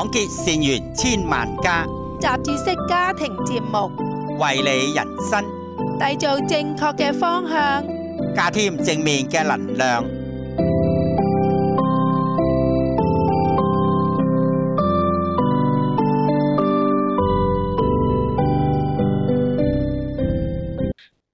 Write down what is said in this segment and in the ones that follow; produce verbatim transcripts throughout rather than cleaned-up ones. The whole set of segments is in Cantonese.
廣結善緣千萬家，雜誌式家庭節目，為你人生締造正確嘅方向，加添正面嘅能量。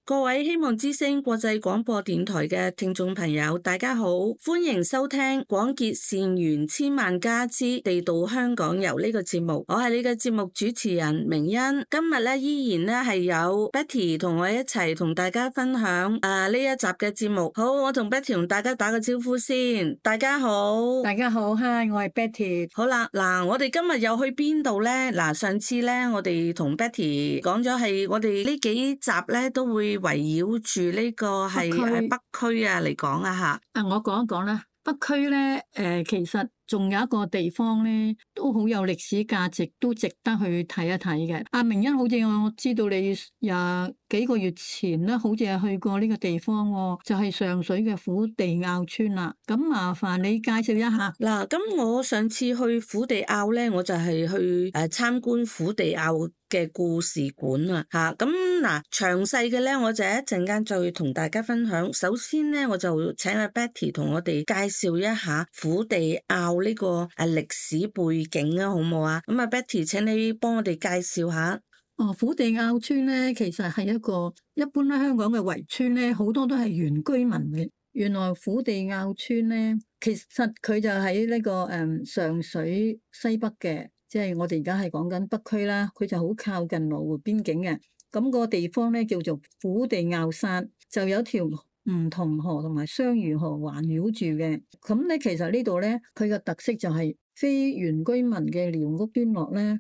各位希望之聲國際廣播電台嘅聽眾朋友，大家好，歡迎收聽廣結善緣千萬家之地道香港遊呢個節目。我係你嘅節目主持人明欣。今日咧依然咧係有 Betty 同我一齊同大家分享啊呢一集嘅節目。好，我同 Betty 同大家打個招呼先。大家好，大家好，嗨，我係 Betty。好啦，嗱，我哋今日又去邊度呢？嗱，上次咧我哋同 Betty 講咗係我哋呢幾集咧都會圍繞住呢個係誒北區啊嚟講啊嚇。啊，我講一講啦。北區咧，誒、呃、其實仲有一個地方咧，都好有歷史價值，都值得去睇一睇嘅。阿明欣，好似我知道你廿幾個月前咧，好似係去過呢個地方喎，就係、是、上水嘅虎地坳村啦。咁麻煩你介紹一下。嗱，咁我上次去虎地坳咧，我就係去誒參觀虎地坳嘅故事館啊，嚇咁嗱，詳細嘅咧，我就一陣間再同大家分享。首先咧，我就請阿 Betty 同我哋介紹一下虎地坳呢個誒歷史背景啊，好唔好啊？咁啊，Betty 請你幫我哋介紹下。哦，虎地坳村咧，其實係一個一般咧香港嘅圍村咧，好多都係原居民嘅。原來虎地坳村咧，其實佢就喺呢、這個誒、嗯、上水西北嘅。即係我哋而家係講緊北區啦，佢就好靠近羅湖邊境嘅。咁個地方咧叫做虎地坳山，就有條梧桐河同埋雙魚河環繞住嘅。咁咧其實呢度咧，佢嘅特色就係非原居民嘅寮屋村落咧。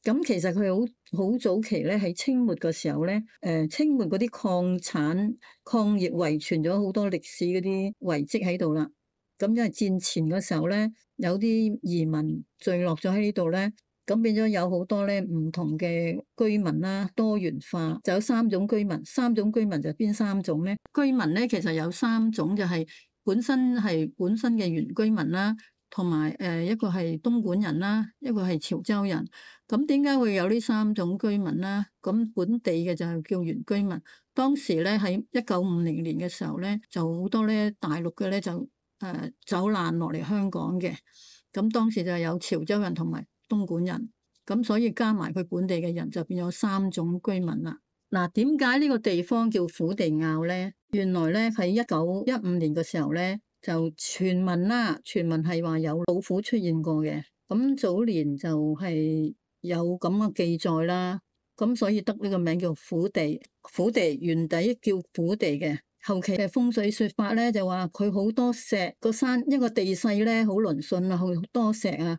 咁其實佢好好早期咧喺清末嘅時候咧，誒清末嗰啲礦產礦業遺傳咗好多歷史嗰啲遺跡喺度啦。咁因為戰前嘅時候咧，有啲移民聚落咗喺呢度咧，咁變咗有好多咧唔同嘅居民啦，多元化，就有三種居民。三種居民就邊三種咧？居民咧其實有三種，就係本身係本身嘅原居民啦，同埋誒一個係東莞人啦，一個係潮州人。咁點解會有呢三種居民啦？咁本地嘅就係叫原居民。當時咧喺一九五零年嘅時候咧，就好多咧大陸嘅咧就。誒走難落嚟香港嘅，咁當時就有潮州人同埋東莞人，咁所以加埋佢本地嘅人就變咗三種居民啦。嗱，點解呢個地方叫虎地坳咧？原來咧喺一九一五年嘅時候咧，就傳聞啦，傳聞係話有老虎出現過嘅。咁早年就係有咁嘅記載啦，咁所以得呢個名叫虎地。虎地原底叫虎地嘅。後期嘅風水說法咧，就話佢好多石，個山一個地勢咧好嶙峋啊，好多石啊，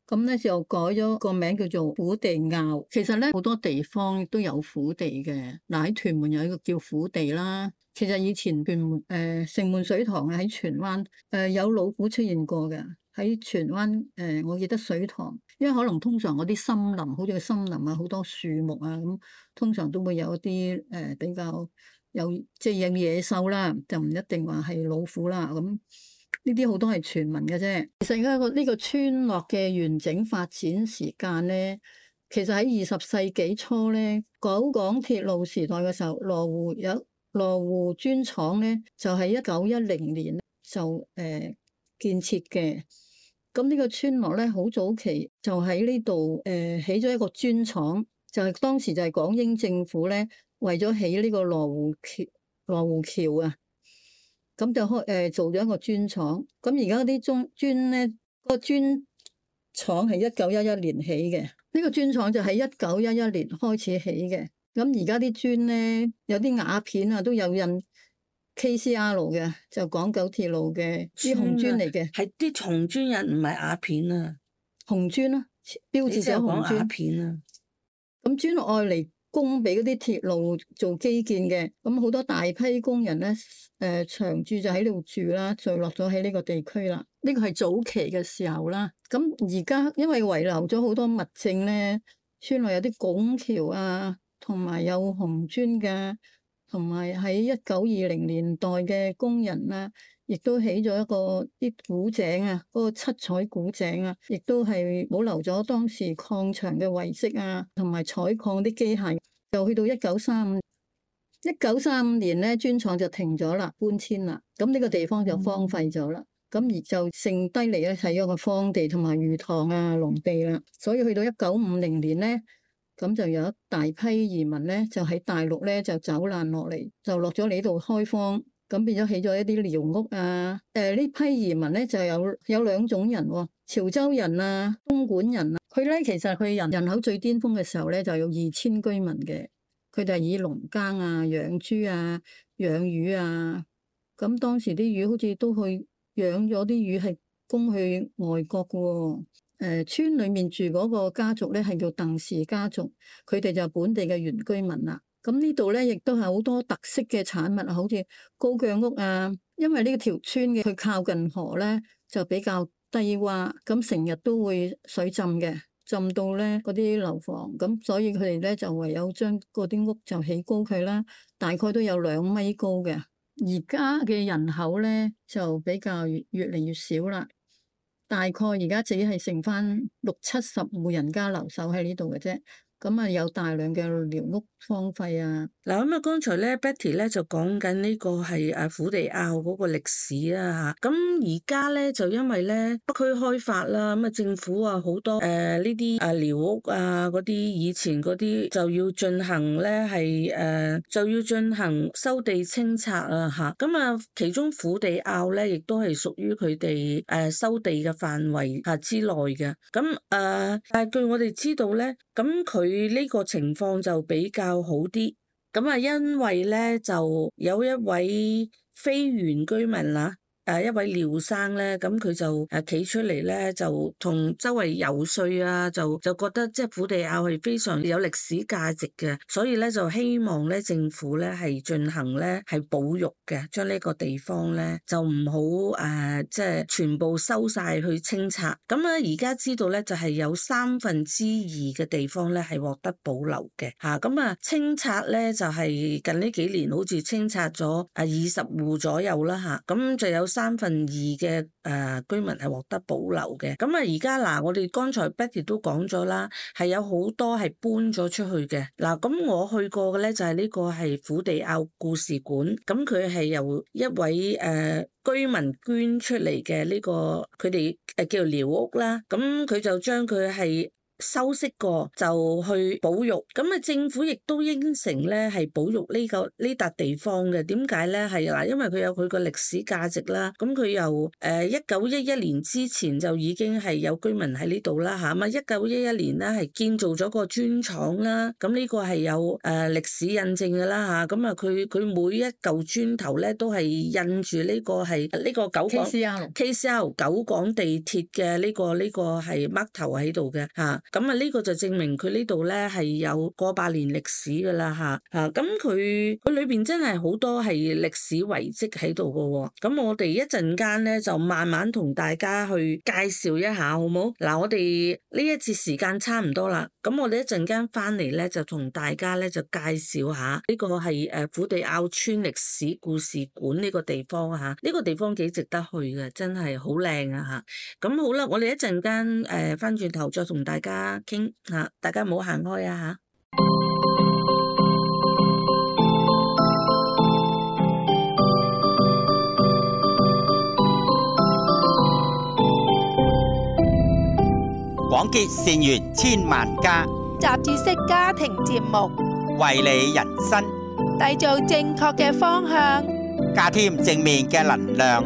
咁咧就改咗個名叫做虎地坳。其實咧好多地方都有虎地嘅，嗱喺屯門有一個叫虎地啦。其實以前屯門誒城門水塘喺荃灣誒有老虎出現過嘅，喺荃灣誒、呃、我記得水塘，因為可能通常嗰啲森林，好似個森林啊，好多樹木啊，咁通常都會有一啲誒、呃、比較。有即係有野獸啦，就唔一定話係老虎啦。咁呢啲好多係傳聞嘅啫。其實而家呢個村落嘅完整發展時間咧，其實喺二十世紀初咧，九廣鐵路時代嘅時候，羅湖有羅湖磚廠咧，就喺一九一零年就誒、呃、建設嘅。咁呢個村落咧，好早期就喺呢度誒起咗一個磚廠，就係、是、當時就係港英政府咧。為咗起呢個羅湖橋，羅湖橋啊，咁就開誒做咗一個磚廠。咁而家啲中磚咧，個磚廠係一九一一年起嘅。呢個磚廠就喺一九一一年開始起嘅。咁而家啲磚咧，有啲瓦片啊，都有印 K C R 嘅，就港九鐵路嘅啲紅磚嚟嘅。係啲紅磚印，唔係瓦片啊，紅磚啊，標誌咗紅磚。瓦片啊，咁磚愛嚟供俾嗰啲鐵路做基建嘅，咁好多大批工人咧，誒、呃、長住就喺度住啦，聚落咗喺呢個地區啦。呢個係早期嘅時候啦。咁而家因為遺留咗好多物證咧，村內有啲拱橋啊，同埋有紅磚嘅，同埋喺一九二零年代嘅工人啦，亦都起咗一個啲古井啊，嗰、嗰個七彩古井啊，亦都係保留咗當時礦場嘅遺跡啊，同埋採礦啲機械。就去到一九三五，一九三五年咧，磚廠就停咗啦，搬遷啦，咁呢個地方就荒廢咗啦。咁、嗯、而就剩低嚟咧係一個荒地同埋魚塘啊、農地啦。所以去到一九五零年咧，咁就有一大批移民咧，就喺大陸咧就走難落嚟，就落咗嚟呢度開荒，咁變咗起咗一啲寮屋啊。誒、呃、呢批移民咧就有有兩種人喎、哦，潮州人啊、東莞人啊。佢咧其實佢人人口最巔峰嘅時候咧就有二千居民嘅，佢哋係以農耕啊、養豬啊、養魚啊。咁當時啲魚好似都去養咗啲魚係供去外國嘅喎、哦。誒、呃、村裡面住嗰個家族咧係叫鄧氏家族，佢哋就係本地嘅原居民啦。咁呢度咧亦都係好多特色嘅產物，好似高腳屋啊。因為呢條村嘅佢靠近河咧，就比較低窪，咁成日都會水浸嘅，浸到咧嗰啲樓房，咁所以佢哋咧就唯有將嗰啲屋就起高佢啦，大概都有兩米高嘅。而家嘅人口咧就比較越越嚟越少啦。大概而家只係剩翻六七十戶人家留守喺呢度嘅啫，咁啊有大量嘅寮屋荒廢啊。嗱咁啊，剛才咧 Betty 咧就講緊呢個係誒虎地坳嗰個歷史啦嚇。咁而家咧就因為咧北區開發啦，咁啊政府啊好多誒呢啲誒寮屋啊嗰啲以前嗰啲就要進行咧係誒就要進行收地清拆啊嚇。咁啊其中虎地坳咧亦都係屬於佢哋誒收地嘅範圍嚇之內嘅。咁誒、呃、但係據我哋知道咧，咁佢呢個情況就比較好啲。咁啊，因為咧就有一位非原居民啦，誒一位廖生咧，咁佢就誒企出嚟咧，就同周圍游説啊，就就覺得即係虎地坳係非常有歷史價值嘅，所以咧就希望咧政府咧係進行咧係保育嘅，將呢個地方咧就唔好誒即係全部收晒去清拆。咁咧而家知道咧就係有三分之二嘅地方咧係獲得保留嘅嚇。咁啊清拆咧就係近呢幾年好似清拆咗啊二十戶左右啦嚇，咁就有三分二嘅誒居民係獲得保留嘅。咁啊而家嗱，我哋剛才 Betty 都講咗啦，係有好多係搬咗出去嘅。嗱，咁我去過嘅咧就係呢個係虎地坳故事館，咁佢係由一位誒、呃、居民捐出嚟嘅呢個，佢哋誒叫做寮屋啦，咁佢就將佢係修飾過就去保育，咁啊政府亦都應承咧係保育呢個呢笪地方嘅。點解咧？係嗱，因為佢有佢個歷史價值啦。咁佢由誒一九一一年之前就已經係有居民喺呢度啦嚇。咁啊一九一一年咧係建造咗個磚廠啦。咁呢個係有誒歷史印證㗎啦嚇。咁啊佢佢每一嚿磚頭咧都係印住呢個係呢個九廣 K C L K C L 九廣地鐵嘅呢個呢個係 mark 頭喺度嘅嚇。咁啊呢個就證明佢呢度咧係有過百年歷史㗎啦嚇嚇。咁佢佢裏邊真係好多係歷史遺跡喺度㗎喎。咁我哋一陣間咧就慢慢同大家去介紹一下，好冇？嗱，我哋呢一節時間差唔多啦。咁我哋一陣間翻嚟咧就同大家咧就介紹下呢個係誒虎地坳村歷史故事館呢個地方嚇。呢個地方幾值得去嘅，真係好靚啊嚇。咁好啦，我哋一陣間誒翻轉頭再同大家傾吓，大家唔好行開啊吓。廣結善緣千萬家，雜誌式家庭節目，為你人生締造正確嘅方向，加添正面嘅能量。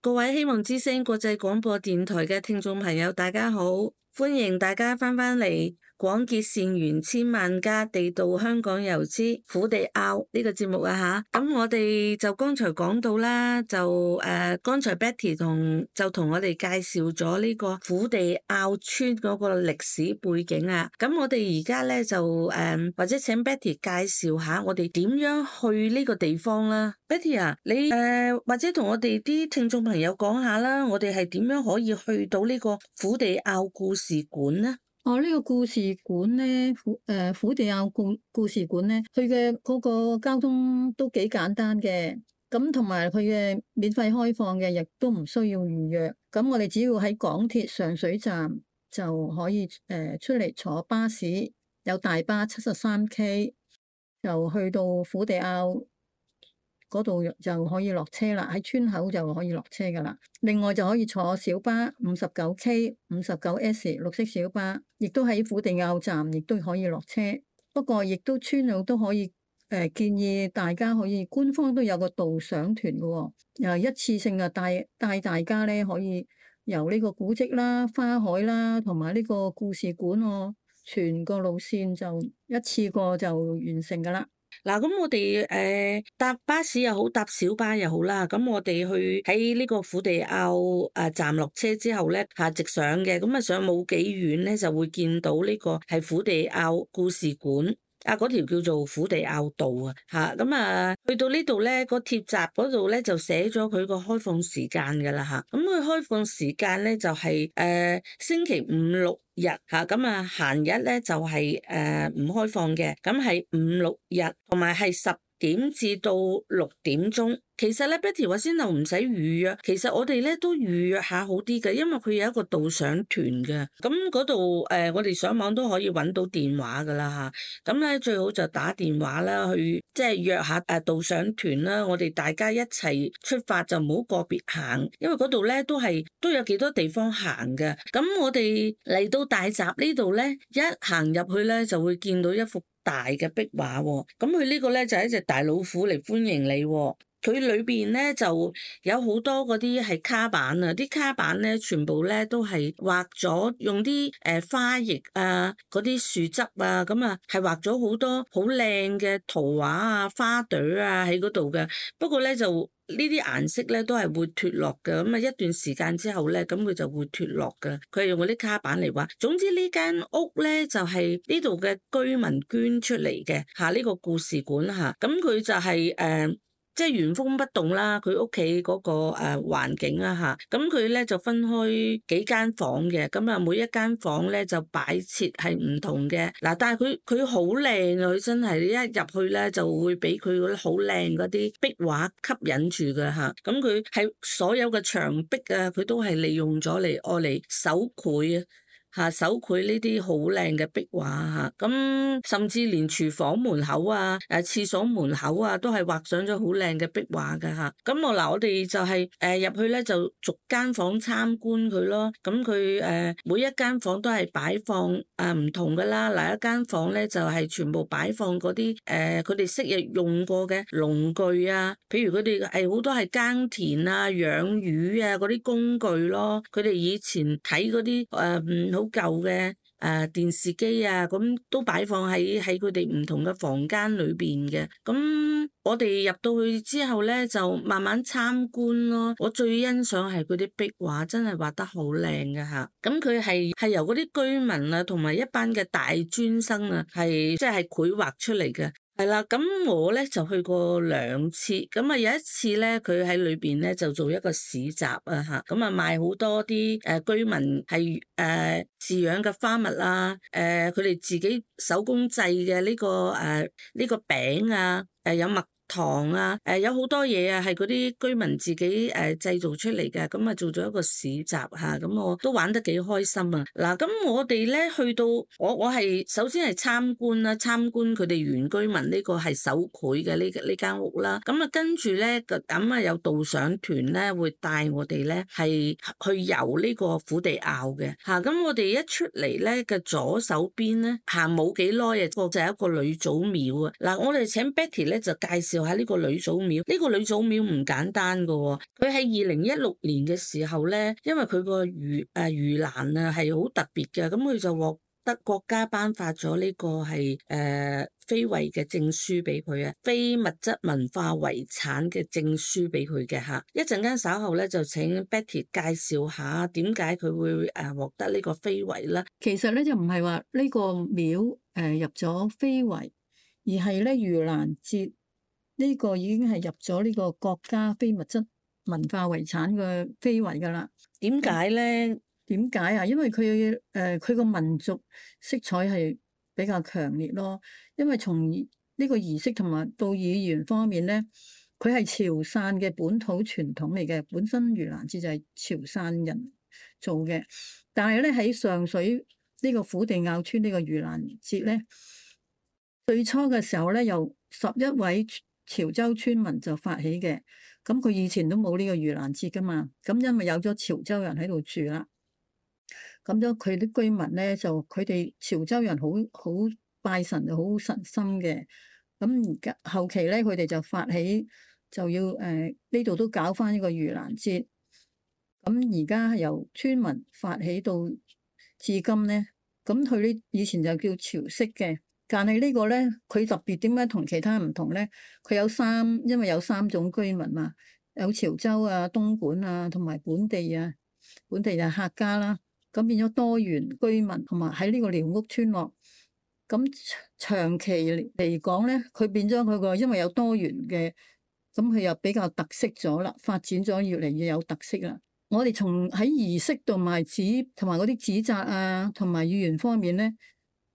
各位希望之聲國際廣播電台嘅聽眾朋友，大家好，歡迎大家翻返嚟廣結善緣千萬家，地道香港遊之虎地坳呢個節目啊吓，咁我哋就剛才講到啦，就誒剛、呃、才 Betty 同就同我哋介紹咗呢個虎地坳村嗰個歷史背景啊，咁我哋而家咧就誒、呃、或者請 Betty 介紹下我哋點樣去呢個地方啦。Betty 啊，你誒、呃、或者同我哋啲聽眾朋友講下啦，我哋係點樣可以去到呢個虎地坳故事館呢？哦，呢、這個故事館咧，虎誒虎地坳故故事館咧，佢嘅嗰個交通都幾簡單嘅，咁同埋佢嘅免費開放嘅，亦都唔需要預約。咁我哋只要喺港鐵上水站就可以誒出嚟坐巴士，有大巴七十三 K， 就去到虎地坳嗰度就可以落車啦，喺村口就可以落車噶啦。另外就可以坐小巴五十九 K、五十九 S 綠色小巴，亦都喺虎地坳站，亦都可以落車。不過亦都村友都可以誒、呃、建議大家可以，官方都有個導賞團嘅喎，又一次性啊帶帶大家咧可以由呢個古蹟啦、花海啦，同埋呢個故事館哦，全個路線就一次過就完成噶啦。嗱，咁我哋誒、呃、搭巴士又好，搭小巴又好啦。咁我哋去喺呢個虎地坳誒站落車之後咧，下直上嘅，咁啊上冇幾遠咧，就會見到呢個係虎地坳故事館。啊，嗰條叫做虎地坳道啊，嚇咁啊，去到呢度咧，個鐵閘嗰度咧就寫咗佢個開放時間㗎啦嚇。咁佢開放時間咧就係、是、誒、呃、星期五六日嚇，咁啊閒日咧就係誒唔開放嘅，咁係五六日同埋係十點至到六點鐘。其實咧 Betty 話先就唔使預約，其實我哋咧都預約下好啲嘅，因為佢有一個導賞團嘅，咁嗰度誒我哋上網都可以揾到電話噶啦嚇，咁咧最好就打電話啦，去即係約下誒導賞團啦，我哋大家一齊出發就唔好個別行，因為嗰度咧都係都有幾多地方行嘅。咁我哋嚟到大閘呢度咧，一行入去咧就會見到一幅大嘅壁畫喎，咁佢呢個咧就係一隻大老虎嚟歡迎你喎。佢裏邊咧就有好多嗰啲係卡板啊，啲卡板咧全部咧都係畫咗用啲誒花葉啊，嗰啲樹枝啊，咁啊係畫咗好多好靚嘅圖畫啊、花朵啊喺嗰度嘅。不過咧就呢啲顏色咧都係會脫落嘅，咁啊一段時間之後咧，咁佢就會脫落嘅。佢係用嗰啲卡板嚟畫。總之呢間屋咧就係呢度嘅居民捐出嚟嘅嚇，呢個故事館嚇，咁佢就係誒。即係原封不動啦，佢屋企嗰個誒環境啦嚇，咁佢咧就分開幾間房嘅，咁啊每一間房咧就擺設係唔同嘅，嗱但係佢佢好靚啊，佢真係你一入去咧就會俾佢嗰啲好靚嗰啲壁畫吸引住嘅嚇，咁佢係所有嘅牆壁啊，佢都係利用咗嚟愛嚟手繪啊。嚇手繪呢啲好靚嘅壁畫嚇，咁甚至連廚房門口啊、誒廁所門口啊，都係畫上咗好靚嘅壁畫㗎嚇。咁我嗱我哋就係誒入去咧，就逐間房參觀佢咯。咁佢誒每一間房都係擺放誒唔同㗎啦。嗱一間房咧就係全部擺放嗰啲誒佢哋昔日用過嘅農具啊，譬如佢哋係好多係耕田啊、養魚啊嗰啲工具咯。佢哋以前睇嗰啲誒好舊嘅誒電視機啊，咁都擺放喺喺佢哋唔同嘅房間裏邊嘅。咁我哋入到去之後咧，就慢慢參觀咯。我最欣賞係佢啲壁畫，真係畫得好靚嘅嚇。咁佢係係由嗰啲居民啊，同埋一班嘅大專生啊，係即係繪畫出嚟嘅。係啦，咁我咧就去過兩次，咁啊有一次咧，佢喺裏邊咧就做一個市集啊嚇，咁啊賣好多啲誒居民係誒飼養嘅花蜜啊，誒佢哋自己手工製嘅呢個誒呢個餅啊，誒有蜜糖啊，誒有好多嘢啊，係嗰啲居民自己誒製造出嚟嘅，咁啊做咗一個市集嚇，咁我都玩得幾開心啊！嗱，咁我哋咧去到我我係首先係參觀啦，參觀佢哋原居民呢個係手繪嘅呢呢間屋啦，咁啊跟住咧咁啊有導賞團咧會帶我哋咧係去遊呢個虎地坳嘅嚇，咁我哋一出嚟咧嘅左手邊咧行冇幾耐啊，個就係一個呂祖廟啊！嗱，我哋請 Betty 咧就介紹下呢個呂祖廟，呢個呂祖廟唔簡單噶喎，佢喺二零一六年嘅時候咧，因為佢個盂誒盂蘭啊係好特別嘅，咁佢就獲得國家頒發咗呢個係誒、呃、非遺嘅證書俾佢啊，非物質文化遺產嘅證書俾佢嘅嚇。一陣間稍後咧就請 Betty 介紹下點解佢會誒獲得呢個非遺啦。其實咧就唔係話呢個廟誒入咗非遺，而係咧盂蘭節呢個已經係入咗呢個國家非物質文化遺產嘅非遺㗎啦。點解咧？點解啊？因為佢誒佢個民族色彩係比較強烈咯。因為從呢個儀式同埋到語言方面咧，佢係潮汕嘅本土傳統嚟嘅。本身盂蘭節就係潮汕人做嘅，但係咧喺上水呢個虎地坳村呢個盂蘭節咧，最初嘅時候咧由十一位潮州村民就發起嘅。咁佢以前都冇呢個盂蘭節噶嘛，咁因為有咗潮州人喺度住啦。咁咗佢啲居民咧，就佢哋潮州人好好拜神，就好神心嘅。咁而家後期咧，佢哋就發起就要誒呢度都搞翻呢個盂蘭節。咁而家由村民發起到至今咧，咁佢呢以前就叫潮式嘅，但係呢個咧佢特別點解同其他唔同咧？佢有三，因為有三種居民嘛，有潮州啊、東莞啊同埋本地啊，本地就客家啦。咁變咗多元居民，同埋喺呢個寮屋村落。咁長期嚟講咧，佢變咗佢個，因為有多元嘅，咁佢又比較特色咗啦，發展咗越嚟越有特色啦。我哋從喺儀式同埋紙同埋嗰啲紙紮啊，同埋語言方面咧，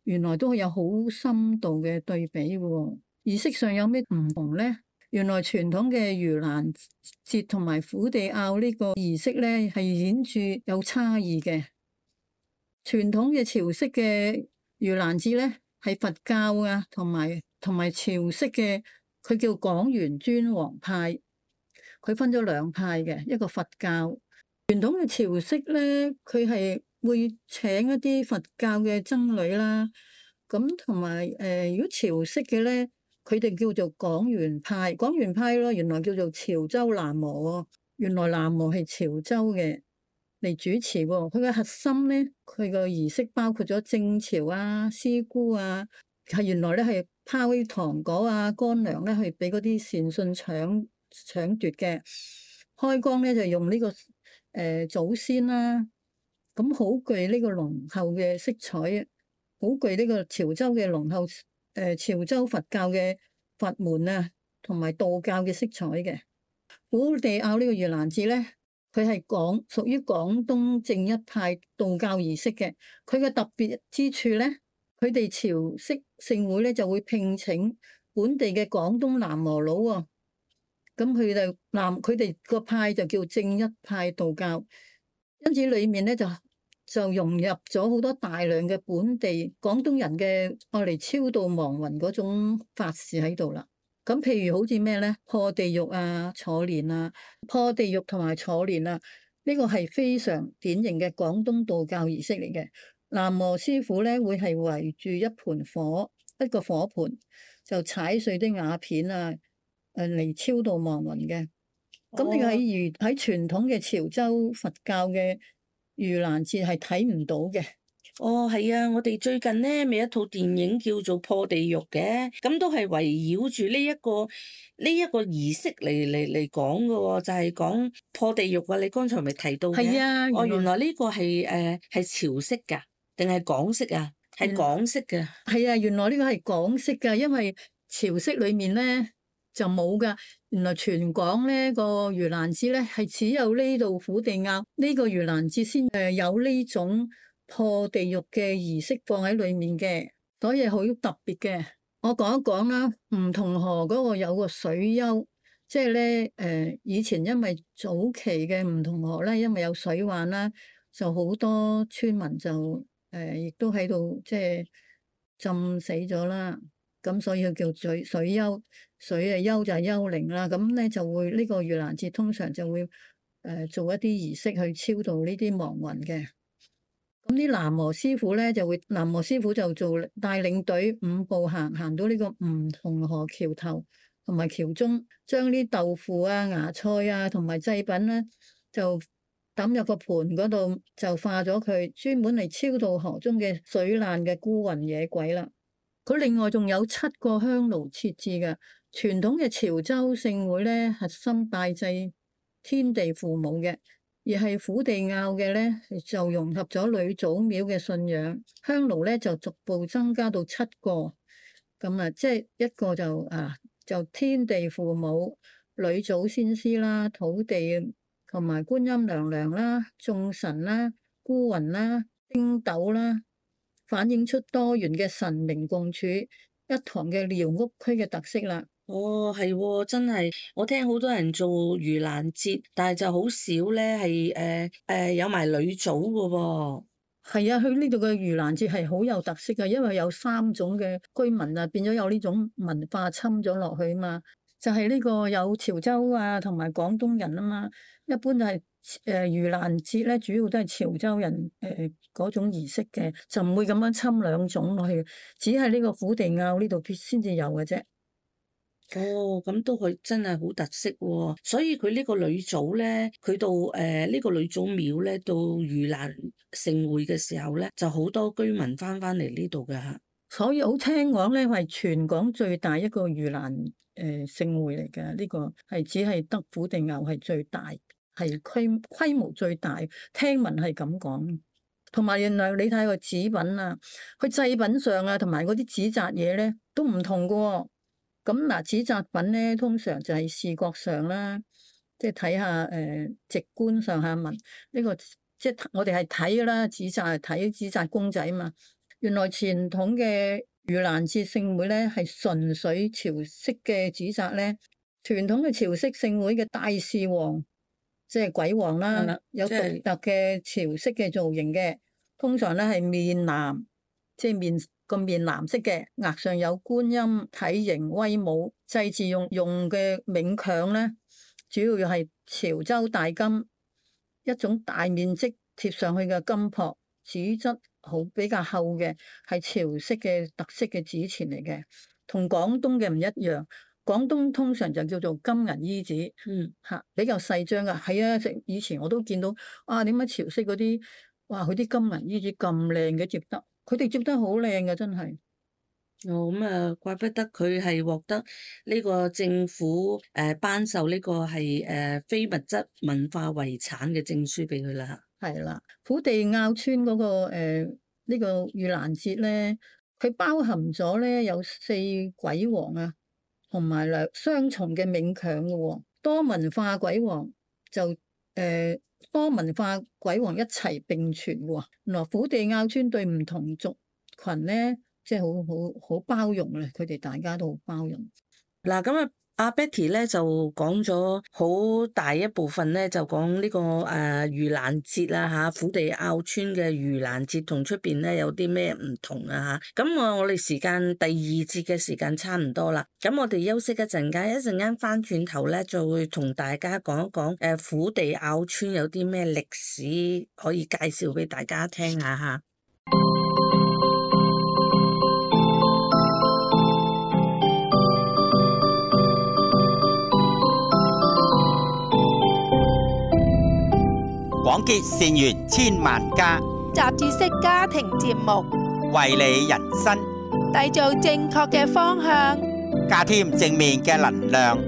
原來都有好深度嘅對比喎。儀式上有咩唔同咧？原來傳統嘅盂蘭節同埋虎地坳呢個儀式咧，係顯著有差異嘅。傳統嘅潮式嘅盂蘭節咧，係佛教啊，同埋同埋潮式嘅，佢叫廣元尊皇派，佢分咗兩派嘅，一個佛教。傳統嘅潮式咧，佢係會請一啲佛教嘅僧侶啦，咁同埋誒，如果潮式嘅咧，佢哋叫做廣元派，廣元派咯，原來叫做潮州喃嘸，原來喃嘸係潮州嘅嚟主持喎。佢嘅核心咧，佢個儀式包括咗正潮啊、師姑啊，係原來咧係拋啲糖果啊、乾糧咧去俾嗰啲善信搶搶奪嘅。開光咧就用呢、這個誒、呃、祖先啦、啊，咁好具呢個濃厚嘅色彩，好具呢個潮州嘅濃厚誒、呃、潮州佛教嘅佛門啊，同埋道教嘅色彩嘅。虎地坳呢個盂蘭節咧，佢係廣屬於廣東正一派道教儀式嘅。佢嘅特別之處咧，佢哋潮式聖會咧就會聘請本地嘅廣東喃嘸佬喎。咁佢哋南佢哋個派就叫正一派道教，因此裏面咧就就融入咗好多大量嘅本地廣東人嘅愛嚟超度亡魂嗰種法事喺度啦。咁譬如好似咩咧，破地獄啊、坐蓮啊、破地獄同埋坐蓮啊，呢個係非常典型嘅廣東道教儀式嚟嘅。喃嘸師傅咧會係圍住一盤火，一個火盤，就踩碎啲瓦片啊。誒嚟超度亡魂嘅，咁呢個喺如喺傳統嘅潮州佛教嘅盂蘭節係睇唔到嘅。哦，係啊，我哋最近咧咪一套電影叫做《破地獄》嘅，咁都係圍繞住呢一個呢一個儀式嚟嚟嚟講嘅喎，就係講破地獄啊！你剛才咪提到嘅？係啊，哦，原來呢個係誒係潮式㗎，定係港式啊？係港式嘅。係啊，原來呢個係港式㗎，因為潮式裡面咧就冇㗎。原來全港呢個盂蘭節咧係只有呢度虎地坳呢個盂蘭節先誒有呢種破地獄嘅儀式放喺裡面嘅，所以好特別嘅。我講一講啦，梧桐河嗰個有個水丘，即係咧誒以前因為早期嘅梧桐河咧，因為有水患啦，就好多村民就誒亦、呃、都喺度即係浸死咗啦。咁所以佢叫水水丘，水啊丘就係幽靈啦。咁咧就會呢、呢個盂蘭節通常就會誒、呃、做一啲儀式去超度呢啲亡魂嘅。咁啲喃嘸師傅咧就會，喃嘸師傅就做帶領隊五步行，行到呢個梧桐河橋頭同埋橋中，將啲豆腐啊、芽菜啊同埋祭品咧就抌入個盤嗰度就化咗佢，專門嚟超度河中嘅水難嘅孤魂野鬼啦。佢另外仲有七個香爐設置嘅。傳統嘅潮州聖會咧，核心拜祭天地父母嘅，而係虎地坳嘅咧就融合咗呂祖廟嘅信仰。香爐咧就逐步增加到七個，咁啊，即係一個就啊就天地父母、呂祖先師啦、土地同埋觀音娘娘啦、眾神啦、孤魂啦、星斗啦，反映出多元嘅神明共處一堂嘅寮屋區嘅特色啦。哦，係喎，真係，我聽好多人做盂蘭節，但係就好少咧，係誒誒有埋呂祖嘅喎。係啊，佢呢度嘅盂蘭節係好有特色嘅，因為有三種嘅居民啊，變咗有呢種文化侵咗落去啊嘛。就係呢個有潮州啊，同埋廣東人啊嘛。一般就係誒盂蘭節咧，主要都係潮州人誒嗰種儀式嘅，就唔會咁樣侵兩種落去，只係呢個虎地坳呢度先至有嘅啫。哦，咁都佢真係好特色喎，所以佢呢個呂祖咧，佢到誒呢個呂祖廟咧，到盂蘭盛會嘅時候咧，就好多居民翻翻嚟呢度㗎嚇。所以好聽講咧，係全港最大一個盂蘭誒盛會嚟嘅，呢個係只係得虎地坳係最大，係規規模最大，聽聞係咁講。同埋原來你睇個紙品啊，佢祭品上啊，同埋嗰啲紙紮嘢咧都唔同㗎喎。咁嗱，紙紮品咧，通常就係視覺上啦，即係睇下誒、呃、直觀上下文呢、這個，即係我哋係睇噶啦，紙紮係睇紙紮公仔嘛。原來傳統嘅盂蘭節聖會咧係純粹潮式嘅紙紮咧，傳統嘅潮式聖會嘅大士王，即係鬼王啦，的有獨特嘅潮式嘅造型嘅，通常咧係面藍，即係面。個面藍色嘅，額上有觀音，體型威武，祭祀用用嘅冥鏹咧，主要又係潮州大金，一種大面積貼上去嘅金箔，紙質好比較厚嘅，係潮式嘅特色嘅紙錢嚟嘅，同廣東嘅唔一樣。廣東通常就叫做金銀衣紙，嗯嚇，比較細張噶。係啊，以前我都見到，啊點解潮式嗰啲，哇佢啲金銀衣紙咁靚嘅摺得？佢哋摺得好靚嘅，真係。哦，咁啊，怪不得佢係獲得呢個政府誒頒授呢個係誒非物質文化遺產嘅證書俾佢啦。係啦，虎地坳村嗰、那個誒、呃這個、呢個盂蘭節咧，佢包含咗咧有四鬼王啊，同埋兩雙重嘅冥鏹嘅喎，多文化鬼王就誒。呃多文化鬼王一齊並存喎，原來虎地坳村對唔同族群咧，即係好好好包容咧，佢哋大家都好包容。嗱，咁啊，阿 Betty 咧就講咗好大一部分咧，就講呢、這個誒盂蘭節啦嚇，虎地坳村嘅盂蘭節同出邊咧有啲咩唔同啊嚇。咁我我哋時間第二節嘅時間差唔多啦，咁我哋休息一陣間，一陣間翻轉頭咧就會同大家講一講誒虎地坳村有啲咩歷史可以介紹俾大家聽下嚇。廣結善緣千萬家，雜誌式家庭節目，為你人生締造正確嘅方向，加添正面嘅能量。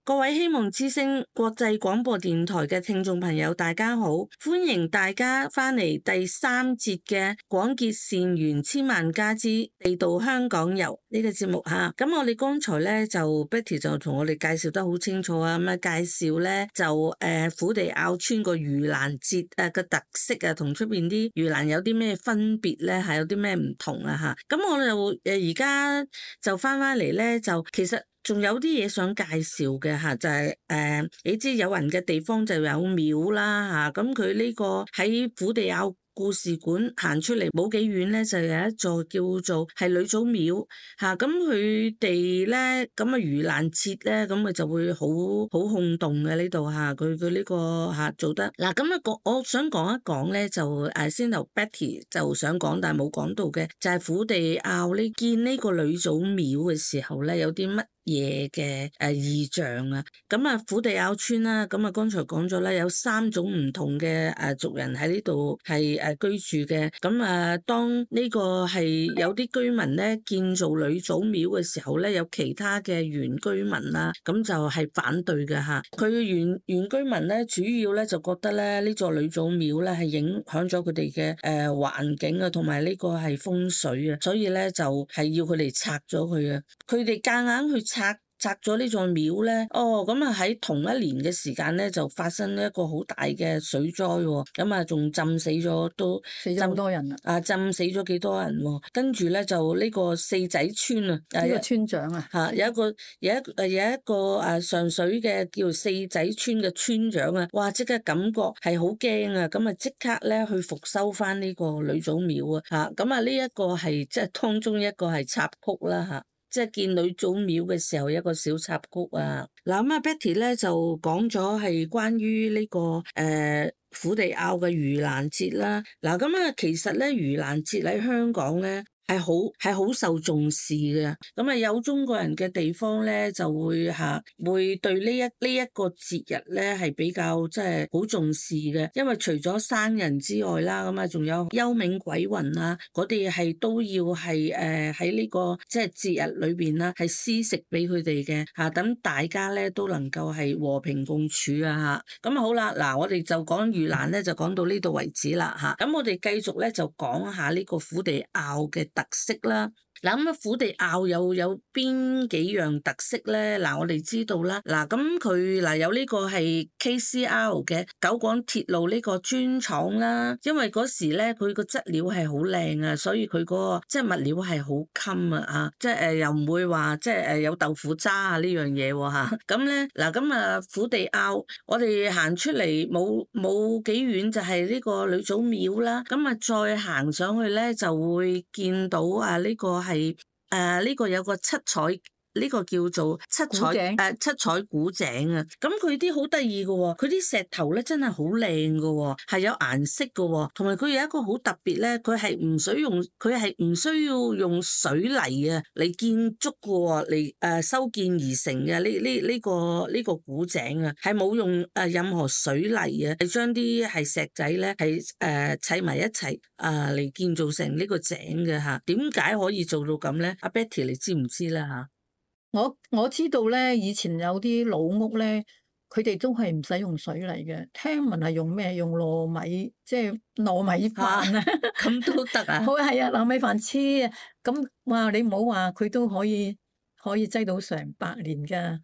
各位希望之聲國際廣播電台嘅聽眾朋友，大家好，歡迎大家翻嚟第三節嘅廣結善緣千萬家之地道香港遊呢個節目吓。咁我哋剛才咧就 Betty 就同我哋介紹得好清楚啊，咁啊介紹咧就誒虎地坳村個盂蘭節誒嘅特色啊，同出邊啲盂蘭有啲咩分別咧，係有啲咩唔同啊吓。咁我就誒而家就翻翻嚟咧，就其實。仲有啲嘢想介紹嘅嚇，就係、是、誒、呃，你知有人嘅地方就有廟啦嚇，咁佢呢個喺虎地坳故事館行出嚟冇幾遠咧，就有一座叫做係呂祖廟嚇。咁佢哋咧咁啊盂蘭節咧，咁佢就會好好轟動嘅呢度嚇。佢佢呢個嚇做得嗱咁啊，我我想講一講咧，就誒先頭 Betty 就想講，但係冇講到嘅，就係虎地坳呢見呢個呂祖廟嘅時候咧，有啲乜嘢嘅誒異象啊？咁啊虎地坳村啦，咁啊剛才講咗啦，有三種唔同嘅誒族人喺呢度係誒居住嘅。咁啊，當呢個係有啲居民咧建造呂祖廟嘅時候咧，有其他嘅原居民啦，咁就係反對嘅嚇。佢原原居民咧，主要咧就覺得咧呢座呂祖廟咧係影響咗佢哋嘅誒環境啊，同埋呢個係風水啊，所以咧就係要佢哋拆咗佢啊。佢哋夾硬去拆。拆咗呢座廟咧，哦，咁啊喺同一年嘅時間咧，就發生一個好大嘅水災喎，咁啊仲浸死咗都死咗好多人啊！啊，浸死咗幾多人喎？跟住咧就呢個四仔村啊，呢個村長啊，嚇有一個有一誒有一個誒上水嘅叫四仔村嘅村長啊，哇！即刻感覺係好驚啊，咁啊即刻咧去復修翻呢個呂祖廟啊，嚇咁啊呢一個係即係當中一個係插曲啦嚇。即係見呂祖廟嘅時候一個小插曲啊！嗱咁啊 Betty 咧就講咗係關於呢、這個誒、呃、虎地坳嘅盂蘭節啦。嗱咁啊其實咧盂蘭節喺香港咧係好係好受重視嘅。咁啊有中國人嘅地方咧就會嚇會對呢一呢一個節日咧係比較即係好重視嘅，因為除咗生人之外啦，咁啊仲有幽冥鬼魂啊嗰啲係都要係誒喺呢個即係節日裏邊啦，係施食俾佢哋嘅嚇，等大家咧都能夠係和平共處啊嚇。咁啊好啦，嗱我哋就講盂蘭咧就講到呢度為止啦嚇。咁我哋繼續咧就講下呢個虎地坳嘅特色啦。嗱咁啊，虎地坳有有邊幾樣特色咧？嗱，我哋知道啦。嗱，咁佢嗱有呢個係 K C R 嘅九廣鐵路呢個磚廠啦。因為嗰時咧佢個質料係好靚啊，所以佢嗰個即係物料係好襟啊啊！即係誒又唔會話即係誒有豆腐渣啊呢樣嘢喎嚇。咁咧嗱咁啊虎地坳，我哋行出嚟冇冇幾遠就係呢個呂祖廟啦。咁啊再行上去咧就會見到啊呢個係。係誒呢個有個七彩呢、呢個叫做七彩誒井、呃、七彩古井啊，咁佢啲好得意嘅喎，佢啲石頭咧真係好靚嘅喎，係有顏色嘅喎，同埋佢有一個好特別咧，佢係唔需用佢係唔需要用水泥啊嚟建築嘅喎，嚟誒修建而成嘅呢呢呢個呢、呢個古井啊，係冇用誒任何水泥啊，係將啲係石仔咧係誒砌埋一齊啊嚟建造成呢個井嘅嚇。點解可以做到咁咧？阿 Betty 你知唔知啦嚇？我我知道咧，以前有啲老屋咧，佢哋都係唔使用水泥嘅。聽聞係用咩？用糯米，即係糯米飯啊，咁都得啊？好係啊，糯米飯黐啊，咁哇！你唔好話佢都可以可以擠到成百年㗎。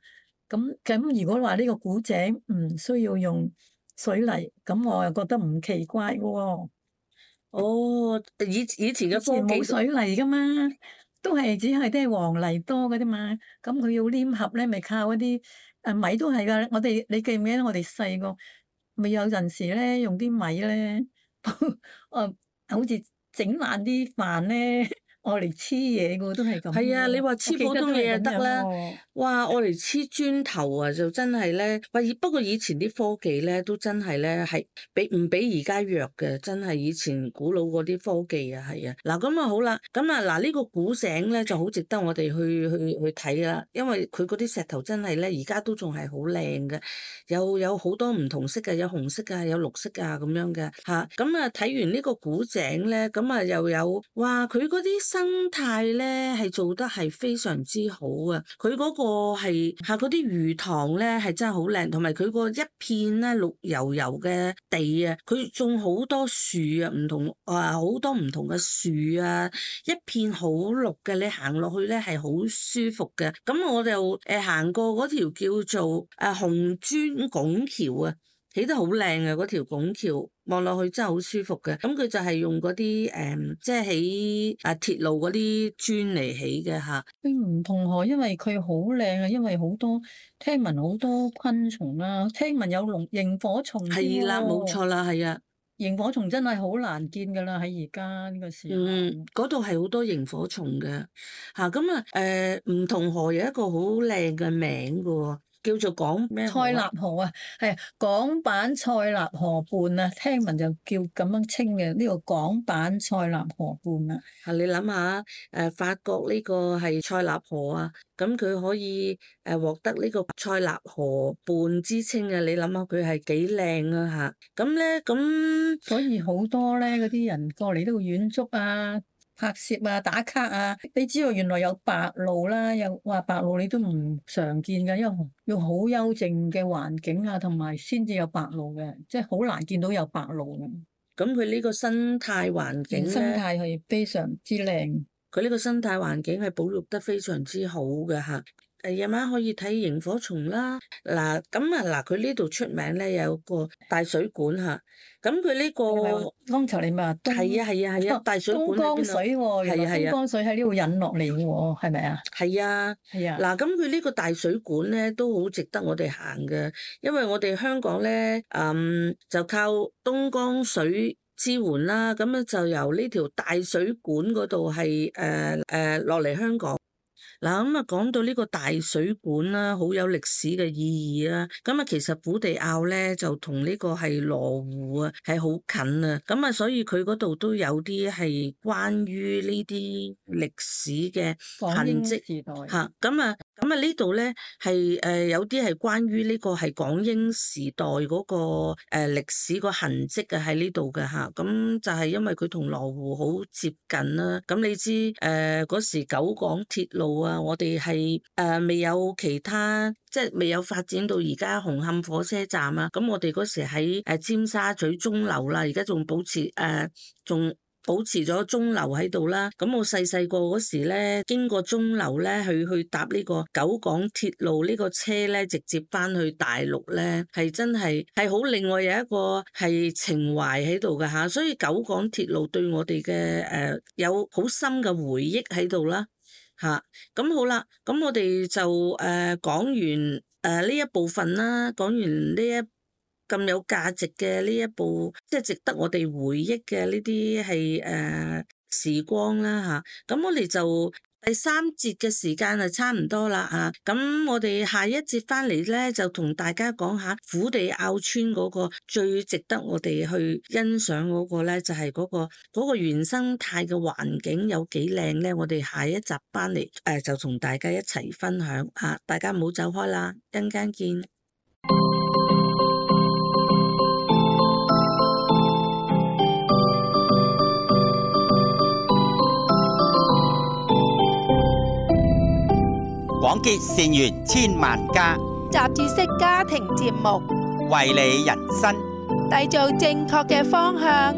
咁咁如果話呢個古井唔需要用水泥，咁我又覺得唔奇怪嘅喎。哦，以以前嘅科技冇水泥㗎嘛。都係只係啲黃泥多嘅啫嘛，咁佢要黏合咧，咪靠嗰啲誒米都係噶。我哋你記唔記得我哋細個咪有陣時咧用啲米咧，誒好似整爛啲飯咧，我嚟黐嘢嘅都係咁。係啊，你話黐普通嘢就得啦。哇，我嚟黐磚頭啊，就真係咧。不過以前啲科技咧都真係咧係比唔比而家弱嘅，真係以前古老嗰啲科技啊，係啊。嗱咁啊好啦，咁啊嗱呢個古井咧就好值得我哋去去去睇啦，因為佢嗰啲石頭真係咧而家都仲係好靚嘅，有有好多唔同色嘅，有紅色啊，有綠色啊咁樣嘅嚇。咁啊睇完呢個古井咧，咁啊又有哇佢嗰啲生態咧係做得係非常之好啊！佢嗰個係嚇嗰啲魚塘咧係真係好靚，同埋佢個一片咧綠油油嘅地啊，佢種好多樹啊，唔同啊好多唔同嘅樹啊，一片好綠嘅，你行落去咧係好舒服嘅。咁我就誒行過嗰條叫做誒紅磚拱橋啊，起得好靚啊！嗰條拱橋望落去真係好舒服嘅。咁佢就係用嗰啲誒，即係起啊鐵路嗰啲磚嚟起嘅嚇。佢唔同嗬，因為佢好靚啊，因為好多聽聞好多昆蟲啊，聽聞有龍螢火蟲。係啦，冇錯啦，係啊。螢火蟲真係好難見㗎啦，喺而家呢個時候。嗯，嗰度係好多螢火蟲嘅嚇，咁啊誒梧桐河有一個好靚嘅名㗎喎，叫做港咩河啊？塞納河啊，係港版塞納河畔啊，聽聞就叫咁樣稱嘅，呢個港版塞納河畔啊。啊，你諗下誒法國呢個係塞納河啊，咁佢可以誒獲得呢個塞納河畔之稱啊，你諗下佢係幾靚啊嚇，咁咧咁所以好多咧嗰啲人過嚟都會遠足啊、拍攝啊、打卡啊。你知道原來有白鷺啦，又話白鷺你都唔常見㗎，因為要好幽靜嘅環境啊，同埋先至有白鷺嘅，即係好難見到有白鷺嘅。咁佢呢個生態環境生咧，態係非常之靚。佢呢個生態環境係保育得非常之好嘅嚇。誒夜晚可以睇螢火蟲啦。嗱咁啊嗱，佢呢度出名咧有個大水管嚇。咁佢呢個剛才你咪話東係啊係啊係啊，大水管東江喺邊度？水喎，原來係啊係啊東江水喺呢度引落嚟嘅喎，係咪啊？係啊。係啊。嗱，咁佢呢個大水管咧都好值得我哋行嘅，因為我哋香港咧，嗯，就靠東江水支援啦，咁咧就由呢條大水管嗰度係誒誒落嚟香港。嗱咁啊，講到呢個大水管啦，好有歷史嘅意義啦。咁啊，其實虎地坳咧就同呢個係羅湖啊，係好近啊。咁啊，所以佢嗰度都有啲係關於呢啲歷史嘅痕跡時代嚇。咁啊，咁啊呢度咧係誒有啲係關於呢個係港英時代嗰個誒歷史個痕跡啊喺呢度嘅嚇。咁就係因為佢同羅湖好接近啦。咁你知誒嗰時九廣鐵路啊，我哋係誒未有其他，即係未有發展到而家紅磡火車站啊。咁我哋嗰時喺誒尖沙咀鐘樓啦，而家仲保持誒仲。保持咗鐘樓喺度啦，咁我細細個嗰時咧，經過鐘樓咧，去去搭呢個九廣鐵路呢個車咧，直接翻去大陸咧，係真係係好另外有一個係情懷喺度㗎吓，所以九廣鐵路對我哋嘅誒有好深嘅回憶喺度啦吓，咁好啦，咁我哋就誒講完誒呢一部分啦，講完呢一咁有價值嘅呢一部，即係值得我哋回憶嘅呢啲係誒時光啦嚇。咁我哋就第三節嘅時間就差唔多啦嚇。咁我哋下一節翻嚟咧，就同大家講下虎地坳村嗰個最值得我哋去欣賞嗰個咧，就係嗰個嗰個原生態嘅環境有幾靚咧。我哋下一集翻嚟誒就同大家一齊分享嚇，大家唔好走開啦，一陣間見。廣結善緣千萬家，雜誌式家庭節目，為你人生締造正確嘅方向。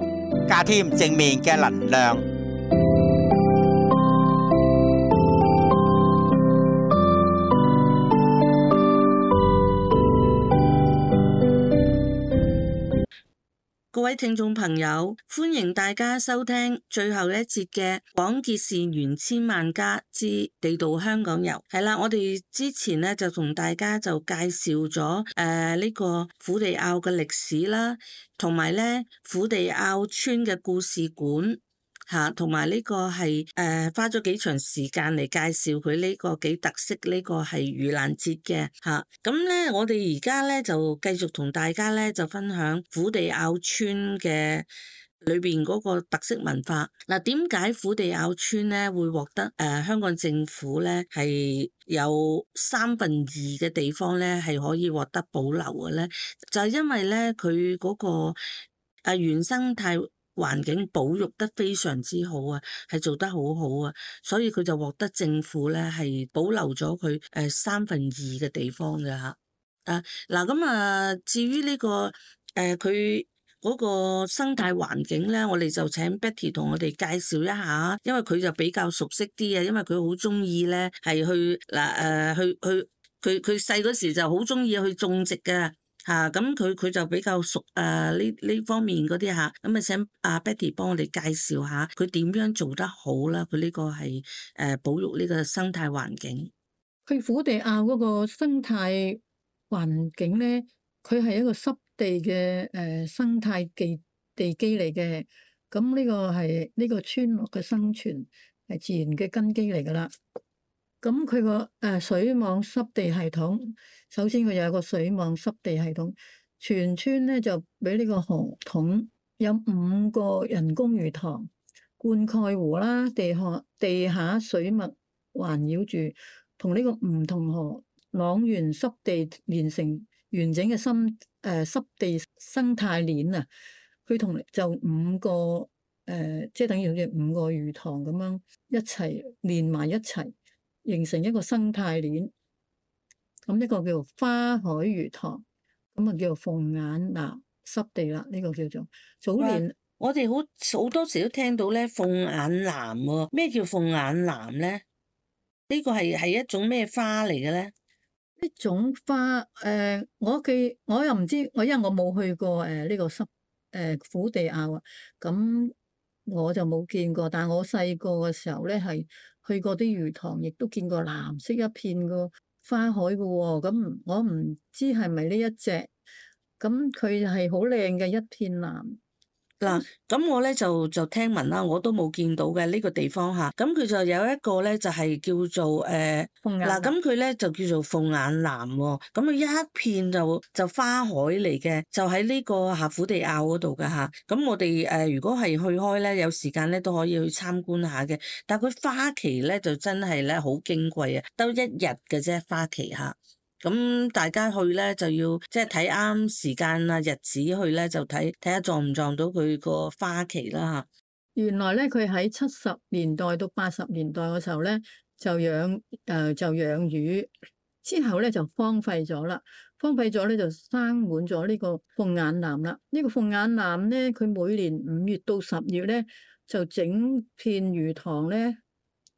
加添正面嘅能量。各位聽眾朋友，歡迎大家收聽最後一節嘅廣結善緣千萬家之地道香港遊。係啦，我哋之前咧就同大家就介紹咗誒呢個虎地坳嘅歷史啦，同埋咧虎地坳村嘅故事館。嚇，同埋呢個係誒、呃、花咗幾長時間嚟介紹佢呢個幾特色，呢、呢個係盂蘭節嘅嚇。咁、啊、咧，我哋而家咧就繼續同大家咧就分享虎地坳村嘅裏邊嗰個特色文化。嗱、啊，點解虎地坳村咧會獲得誒、呃、香港政府咧係有三分二嘅地方咧係可以獲得保留嘅咧？就係、是、因為咧佢嗰個誒、呃、原生態環境保育得非常之好啊，係做得好好啊，所以佢就獲得政府咧係保留咗佢誒三分二嘅地方嘅嚇。啊嗱咁啊，至於呢、這個誒佢嗰個生態環境咧，我哋就請 Betty 同我哋介紹一下，因為佢就比較熟悉啲啊，因為佢好中意咧係去嗱誒去去佢佢細嗰時就好中意去種植嘅。嚇，咁佢佢就比較熟誒呢呢方面嗰啲嚇，咁啊請阿 Betty 幫我哋介紹下佢點樣做得好啦？佢呢個係誒保育呢個生態環境。佢虎地坳嗰個生態環境咧，佢係一個濕地嘅誒生態地地基嚟嘅。咁呢個係呢個村落嘅生存係自然嘅根基嚟㗎啦。咁佢個誒水網濕地系統，首先佢有個水網濕地系統，全村咧就俾呢個河桶，有五個人工魚塘、灌溉湖啦，地下地下水脈環繞住，同呢個梧桐河塱原濕地連成完整嘅深誒濕地生態鏈啊！佢同就五個誒、呃，即係等於好似五個魚塘咁樣一齊連埋一齊，形成一個生態鏈。咁一個叫做花海魚塘，咁啊叫做鳳眼南濕地啦。呢、這個叫做早年我哋好好多時都聽到咧鳳眼南喎，咩叫鳳眼南咧？呢個係係一種咩花嚟嘅咧？呢種花誒、呃，我記我又唔知，我因為我冇去過誒呢、呃這個濕。誒虎地坳啊，咁我就冇見過，但係我細個嘅時候咧，係去過啲魚塘，亦都見過藍色一片個花海嘅喎。咁我唔知係咪呢一隻，咁佢係好靚嘅一片藍。嗱，咁我咧就就聽聞啦，我都冇見到嘅呢個地方嚇。咁佢就有一個咧，就係叫做誒嗱，咁佢咧就叫做鳳眼南喎。咁佢一片就就花海嚟嘅，就喺呢個下虎地坳嗰度㗎嚇。咁我哋誒如果係去開咧，有時間咧都可以去參觀下嘅。但係佢花期咧就真係咧好矜貴啊，得一日嘅啫花期嚇。咁大家去咧就要即係睇啱時間啊日子去咧，就睇睇下撞唔撞到佢個花期啦嚇。原來咧佢喺七十年代到八十年代嘅時候咧就養誒、呃、就養魚，之後咧就荒廢咗啦。荒廢咗咧就生滿咗呢個鳳眼南啦。呢、這個鳳眼南咧，佢每年五月到十月咧就整片魚塘咧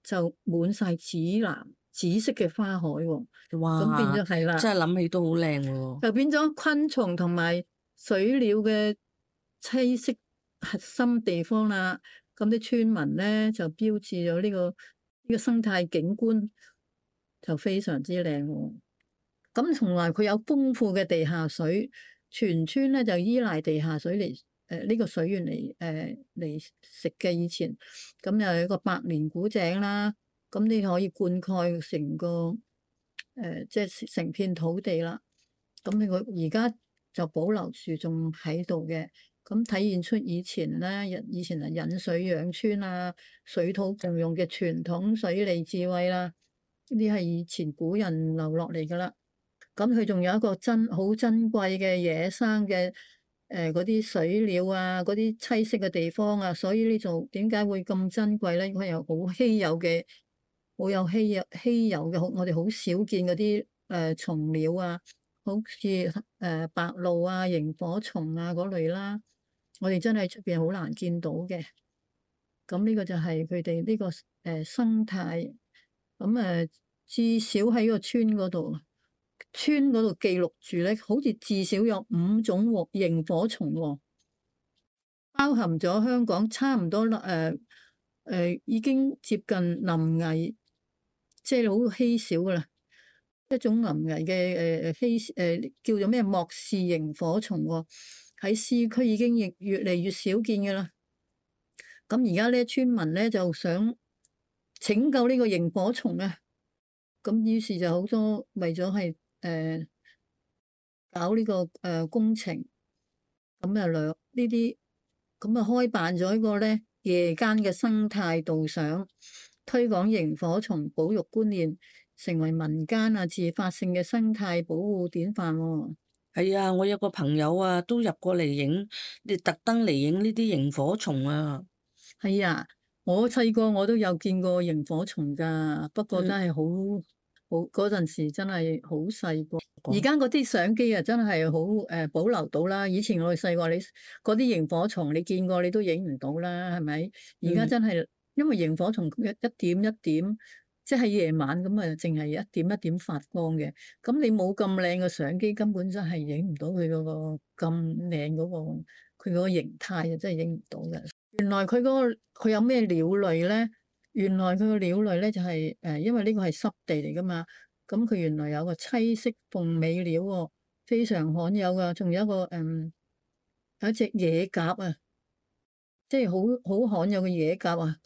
就滿晒紫藍紫色嘅花海喎。哇！咁變咗係啦，真係諗起都好靚喎。就變咗昆蟲同埋水鳥嘅棲息核心地方啦。咁啲村民咧就標誌咗呢個呢、呢個生態景觀，就非常之靚喎。咁同埋佢有豐富嘅地下水，全村咧就依賴地下水嚟誒呢個水源嚟誒嚟食嘅。以前咁又有一個百年古井啦，咁你可以灌溉成個。誒、呃，即係成片土地啦，咁佢而家就保留住仲喺度嘅，咁體現出以前咧，以前係引水養村啊，水土共用嘅傳統水利智慧啦，呢啲係以前古人留落嚟噶啦。咁佢仲有一個珍好珍貴嘅野生嘅誒嗰啲水鳥啊，嗰啲棲息嘅地方啊，所以呢度點解會咁珍貴咧？佢有好稀有嘅。好有稀有稀有嘅，好我哋好少見嗰啲誒蟲鳥啊，好似誒白鷺啊、螢火蟲啊嗰類啦，我哋真係出邊好難見到嘅。咁呢個就係佢哋呢個誒生態。咁誒至少喺個村嗰度，村嗰度記錄住咧，好似至少有五種螢火蟲喎，包含咗香港差唔多誒誒、呃呃、已經接近臨危。即係好稀少噶啦，一種臨危嘅誒誒稀誒叫做咩莫氏螢火蟲喎，喺市區已經越越嚟越少見噶啦。咁而家咧村民咧就想拯救呢個螢火蟲啊，咁於是就好多為咗係誒搞呢個誒工程，咁啊兩呢啲咁啊開辦咗一個咧夜間嘅生態導賞。推廣螢火蟲保育觀念，成為民間啊自發性嘅生態保護典範喎。係啊，我有個朋友啊，都入過嚟影，你特登嚟影呢啲螢火蟲啊。係啊，我細個我都有見過螢火蟲㗎，不過真係好好嗰陣時真係好細個。而家嗰啲相機啊，真係好誒保留到啦。以前我哋細個，你嗰啲螢火蟲你見過你都影唔到啦，係咪？而家真係。嗯因為螢火蟲一一點一點，即係夜晚咁啊，淨係一點一點發光嘅。咁你冇咁靚嘅相機，根本真係影唔到佢嗰個咁靚嗰個佢嗰個形態啊，真係影唔到嘅。原來佢嗰個佢有咩鳥類咧？原來佢個鳥類咧就係誒，因為呢個係濕地嚟噶嘛。咁佢原來有個棲息鳳尾鳥喎，非常罕有噶。仲有一個誒，有一隻野鴿啊。即係好好罕有嘅野鴿啊！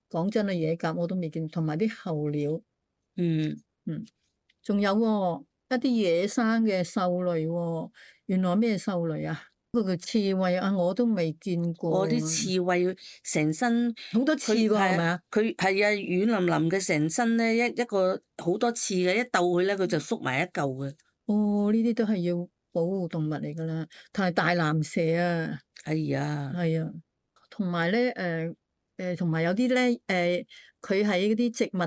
講真啊，野鴿我都未見，同埋啲候鳥，嗯嗯，仲有喎、一啲野生嘅獸類喎、原來咩獸類啊？嗰個叫刺蝟啊，我都未見過。我啲刺蝟成身好多刺㗎係咪啊？佢係啊，軟腍腍嘅成身咧，一一個好多刺嘅，一鬥佢咧，佢就縮埋一嚿嘅。哦，呢啲都係要保護動物嚟㗎啦，同埋大藍蛇啊，係啊，係啊，同埋咧誒誒，同埋有啲咧誒，佢喺嗰啲植物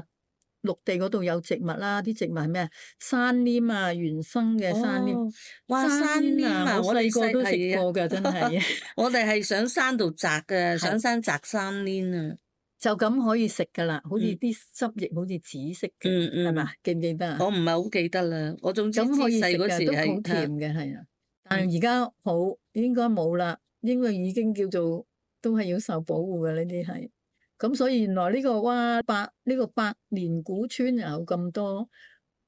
陸地嗰度有植物啦，啲植物係咩啊？山稔啊，原生嘅山稔。哦哇，山稔啊！我我哋細個都食係啊過㗎，真係。我哋係上山度摘嘅，係上山摘山稔啊。就咁可以食㗎啦，好似嗯啲汁液好似紫色嘅，嗯嗯係嘛？記唔記得啊？我唔係好記得啦，我總之知咁可以食細嗰時嘅，都好係甜嘅，係啊。但係而家好應該冇啦，應該已經叫做都係要受保護嘅呢啲係。咁所以原來呢個哇百呢個百年古村又有咁多，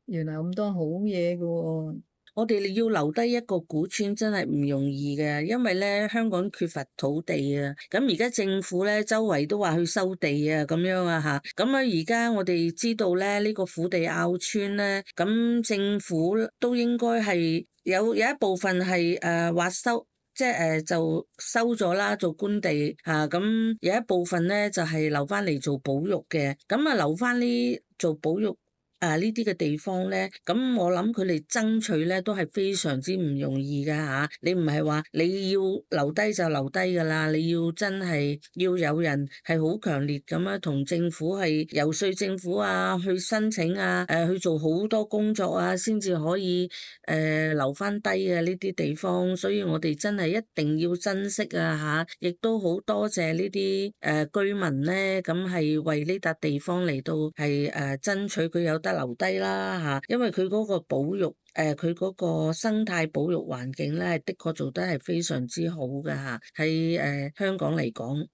原來咁多好嘢㗎喎。我哋要留低一個古村真係唔容易嘅，因為咧香港缺乏土地啊。咁而家政府咧周圍都話去收地啊，咁樣啊嚇。咁啊而家我哋知道咧呢個虎地坳村咧，咁政府都應該係有有一部分係誒話收，即係誒就收咗啦，做官地嚇。咁有一部分咧就係留翻嚟做保育嘅。咁啊留翻呢做保育。啊！呢啲嘅地方咧，咁我諗佢哋爭取咧都係非常之唔容易㗎嚇。你唔係話你要留低就留低㗎啦，你要真係要有人係好強烈咁樣同政府係遊說政府啊，去申請啊，誒去做好多工作啊，先至可以誒、呃、留翻低啊呢啲地方。所以我哋真係一定要珍惜啊嚇，亦都好多謝呢啲誒居民咧，咁係為呢笪地方嚟到係誒爭取佢有得留低啦嚇，因為佢嗰個保育誒佢嗰個生態保育環境咧，的確做得係非常之好嘅嚇，喺誒香港嚟講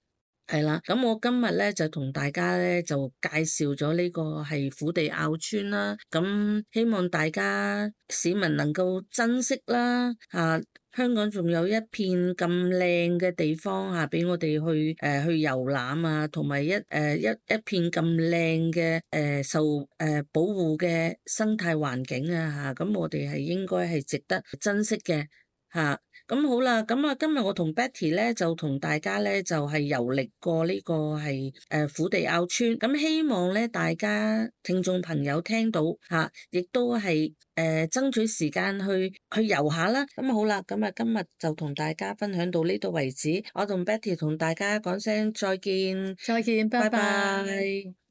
係啦。咁我今日咧就同大家咧就介紹咗呢個係虎地坳村啦，咁希望大家市民能夠珍惜啦嚇。香港仲有一片咁靚嘅地方嚇，俾我哋去誒、呃、去遊覽啊，同埋一誒、呃、一一片咁靚嘅誒受誒、呃、保護嘅生態環境啊嚇，咁我哋係應該係值得珍惜嘅嚇。咁好啦，咁啊今日我同 Betty 咧就同大家咧就係遊歷過呢個係誒虎地坳村，咁希望咧大家聽眾朋友聽到嚇，亦都係誒爭取時間去去遊下啦。咁好啦，咁啊今日就同大家分享到呢度為止，我同 Betty 同大家講聲再見，再見，拜拜。拜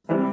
拜。